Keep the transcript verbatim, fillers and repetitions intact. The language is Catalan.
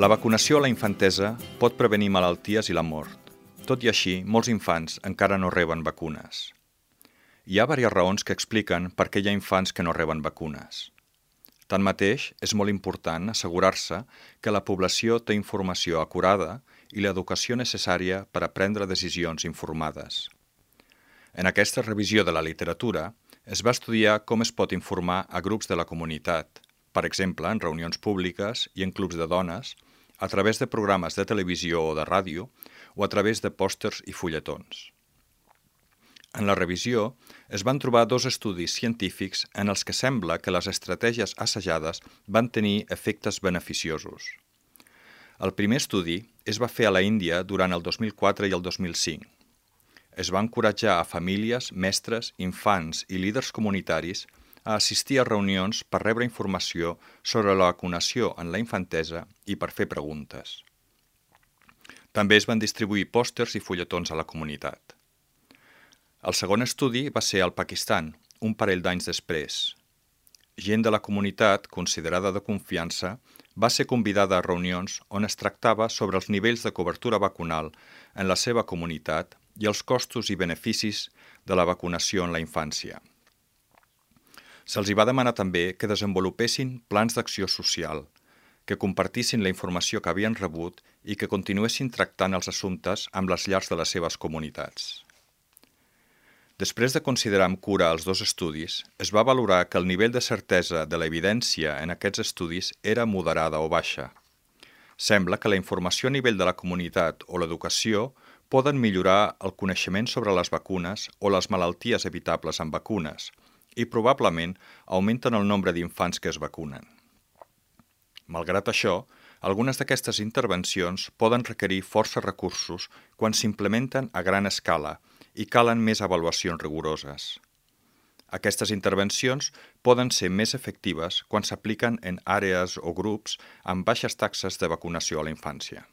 La vacunació a la infantesa pot prevenir malalties i la mort. Tot i així, molts infants encara no reben vacunes. Hi ha diverses raons que expliquen per què hi ha infants que no reben vacunes. Tanmateix, és molt important assegurar-se que la població té informació acurada i l'educació necessària per a prendre decisions informades. En aquesta revisió de la literatura, es va estudiar com es pot informar a grups de la comunitat, per exemple, en reunions públiques i en clubs de dones, a través de programes de televisió o de ràdio o a través de pòsters i fulletons. En la revisió es van trobar dos estudis científics en els que sembla que les estratègies assajades van tenir efectes beneficiosos. El primer estudi es va fer a la Índia durant el dos mil quatre i el dos mil cinc. Es va encoratjar a famílies, mestres, infants i líders comunitaris a assistir a reunions per rebre informació sobre la vacunació en la infantesa i per fer preguntes. També es van distribuir pòsters i fulletons a la comunitat. El segon estudi va ser al Pakistan, un parell d'anys després. Gent de la comunitat, considerada de confiança, va ser convidada a reunions on es tractava sobre els nivells de cobertura vacunal en la seva comunitat i els costos i beneficis de la vacunació en la infància. Se'ls hi va demanar també que desenvolupessin plans d'acció social, que compartissin la informació que havien rebut i que continuessin tractant els assumptes amb les llars de les seves comunitats. Després de considerar amb cura els dos estudis, es va valorar que el nivell de certesa de l'evidència en aquests estudis era moderada o baixa. Sembla que la informació a nivell de la comunitat o l'educació poden millorar el coneixement sobre les vacunes o les malalties evitables amb vacunes i probablement augmenten el nombre d'infants que es vacunen. Malgrat això, algunes d'aquestes intervencions poden requerir força recursos quan s'implementen a gran escala i calen més avaluacions rigoroses. Aquestes intervencions poden ser més efectives quan s'apliquen en àrees o grups amb baixes taxes de vacunació a la infància.